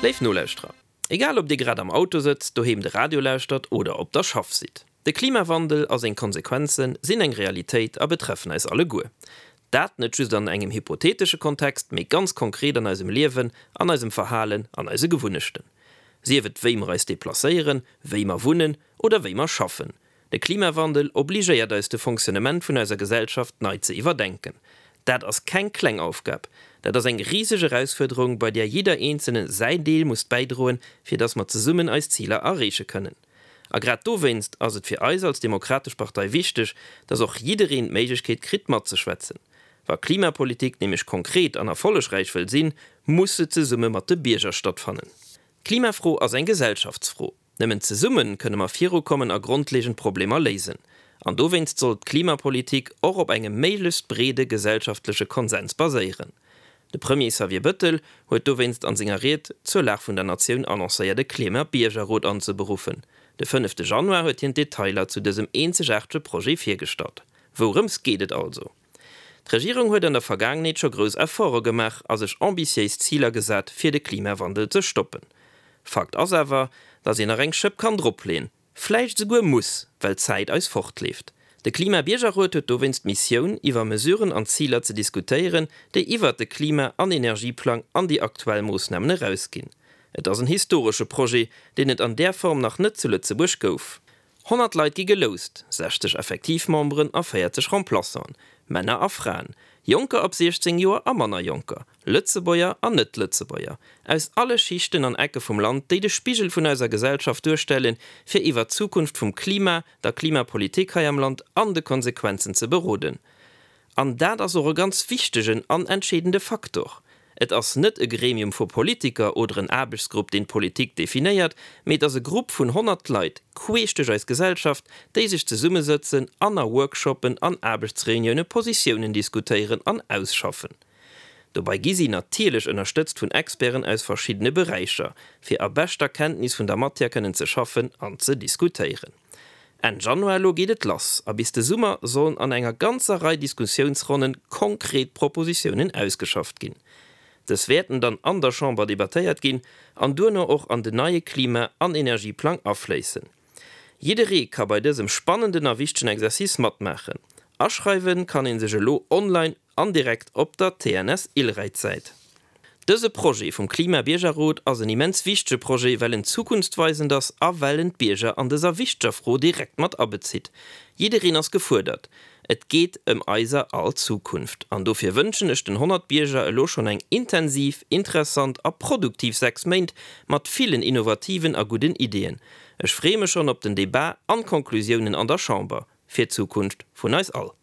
Léif Nolauschterer, egal ob Dir grad am Auto sëtzt, doheem de Radio lauschtert oder op der Schaff sidd, de Klimawandel a seng Konsequenze sinn eng Realitéit a betreffen eis alleguer. Dat net just an engem hypothetesche Kontext, mee ganz konkret an eisem Liewen, an eisem Verhalen, an eise Gewunnechten. Sief et wéi mer eis deplacéieren, wéi mer wunnen oder wéi mer schaffen. De Klimawandel obligéiert eis de Fonctionnement vun eiser Gesellschaft nei ze iwwerdenken. Dat ass keng kleng Aufgab. Dat ass eng riseg Erausfuerderung, bei där jidder Eenzele säin Deel muss bäidroen, fir datt mer zesummen eis Ziler erreeche kënnen. A grad dowéinst ass et fir eis als Demokratesch Partei wichteg, dass och jiddereen d'Méiglechkeet kritt matzeschwätzen. Wa Klimapolitik nämlech konkret an erfollegräich wëll sinn, muss se zesumme mat de Bierger stattfannen. D'Klimafro ass eng Gesellschaftsfro. Nëmmen zesumme kënne mer virukommen a grondlegend Problemer léisen. An dowéinst soll d'Klimapolitik och op engem méiglechst breede gesellschaftleche Konsens baséieren. De Premier Xavier Bëttel huet dowéinst an senger Ried zur Lag vun der Natioun annoncéiert e Klima-Biergerrot anzeberuffen. De fënnefte Januar huet hien d'Detailer zu dësem eenzegaartege Projet virgestallt. Wourëms geet et also? D'Regierung huet an der Vergaangenheet scho grouss Efforte gemaach a sech ambitiéis Ziler gesat fir de Klimawandel ze stoppen. Fakt ass awer, datt een nach eng Schëpp kann dropleeën. Vläicht esouguer muss, well d'Zäit eis fortleeft. De Klima-Biergerrot huet dowéinst d'Missioun, iwwer Mesuren an Ziler ze diskutéieren, déi iwwert de Klima an Energieplang an déi aktuell Moossnamen erausginn. Et ass en historesche Projet, deen et an där Form nach net zu Lëtzebuerg gouf. 100 Leit gi geloust, 60 effektiv Memberen a 40 Remplaçanten, Männer a Fraen, Jonker ab 16 Joer a manner Jonker. Lëtzebuerger an Net-Lëtzebuerger, aus alle Schichten an Ecke vum Land, déi de Spigel vun eiser Gesellschaft duerstellen, fir iwwert d'Zukunft vum Klima, der Klimapolitik hei am Land an de Konsequenzen ze beroden. An dat ass och e ganz wichtegen an entscheedende Faktor. Et ass net e Gremium vu Politiker oder en Aarbechtsgrupp, deen d'Politik definéiert, mee et ass e Grupp vun 100 Leit, queesch duerch eis Gesellschaft, déi sech zesummesëtzen an a Workshoppen an Aarbechtsreunioune Positiounen diskutéieren an ausschaffen. Dobei gi si natierlech ënnerstëtzt vun Experten aus verschiddene Beräicher, fir a beschter Kenntnis vun der Matière kënnen ze schaffen an ze diskutéieren. Enn Januar elo geet et lass a bis de Summer sollen an enger ganzer Rei Diskussiounsronnen konkret Propositiounen ausgeschafft ginn. Dës wäerten dann an der Chamber debattéiert ginn an duerno och an den neie Klima an Energieplang afléissen. Jidderee ka bei dësem spannenden a wichtegen Exercice matmaachen. Aschreiwen kann een sech elo online an direkt op der TNS Ilräit-Säit. Dëse Projet vum Klima-Biergerrot ass en immens wichtege Projet, well en zukunftsweisend ass a well en d'Bierger an dëser wichteger Fro direkt mat abezitt. Jiddereen ass gefuerdert. Et geet ëm eiser all Zukunft. An dofir wënschen ech den 100 Bierger elo schonn eng intensiv, interessant a produktiv 6 Méint mat villen innovativen a gudden Ideeën. Ech freeë mech schonn op den Debat an d'Konklusiounen an der Chamber fir d'Zukunft vun eis all.